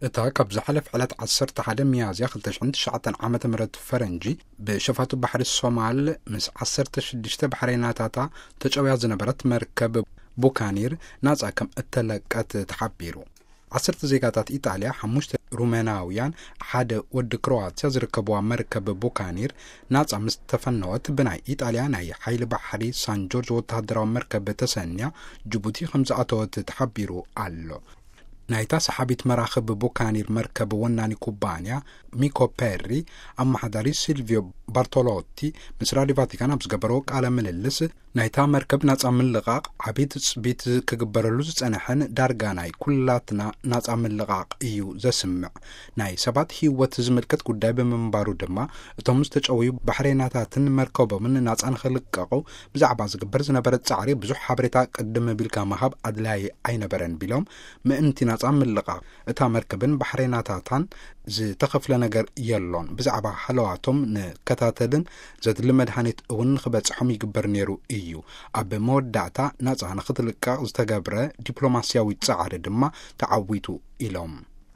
እታ ካብ ዝሓለፈ ዕለት ዓሰርተ ሓደ ሚያዝያ ክልተ ሽሕን ትሽዓተን ዓመተ ምህረት ፈረንጂ ብሸፋቱ ባሕሪ ሶማል ምስ ዓሰርተ ሽዱሽተ ባሕረይናታታ ተጨውያ ዝነበረት መርከብ ቡካኒር ናጻ ከም እተለቀት ተሓቢሩ። ዓሰርተ ዜጋታት ኢጣልያ፣ ሓሙሽተ ሩሜናውያን፣ ሓደ ወዲ ክሮዋትያ ዝርከብዋ መርከብ ቡካኒር ናጻ ምስ ተፈነወት ብናይ ኢጣልያ ናይ ሓይሊ ባሕሪ ሳን ጆርጅ ወተሃደራዊ መርከብ ተሰንያ ጅቡቲ ከም ዝኣተወት ተሓቢሩ ኣሎ። ናይታ ሰሓቢት መራኽብ ቡካኒር መርከብ ወናኒ ኩባንያ ሚኮ ፔሪ ኣመሓዳሪ ሲልቪዮ ባርቶሎቲ ምስ ራዲዮ ቫቲካን ኣብ ዝገበረዎ ቃለ ምልልስ፣ ናይታ መርከብ ናጻ ምልቓቕ ዓቢ ትጽቢት ክግበረሉ ዝጸንሐን ዳርጋ ናይ ኩላትና ናጻ ምልቓቕ እዩ ዘስምዕ። ናይ ሰባት ህይወት ዝምልከት ጉዳይ ብምንባሩ ድማ፣ እቶም ዝተጨወዩ ባሕሬናታትን መርከቦምን ናጻ ንኽልቀቑ ብዛዕባ ዝግበር ዝነበረ ጻዕሪ ብዙሕ ሓበሬታ ቅድም ቢልካ ምሃብ ኣድላዪ ኣይነበረን ቢሎም፣ ምእንቲ ናጻ ምልቓቕ እታ መርከብን ባሕሬናታታን ዝተኸፍለ ነገር የሎን። ብዛዕባ ሃለዋቶም ንከታተልን ዘድሊ መድሃኒት እውን ንኽበጽሖም ይግበር ነይሩ እዩ። ኣብ መወዳእታ ናጻ ንኽትልቀቕ ዝተገብረ ዲፕሎማስያዊ ጻዕሪ ድማ ተዓዊቱ ኢሎም።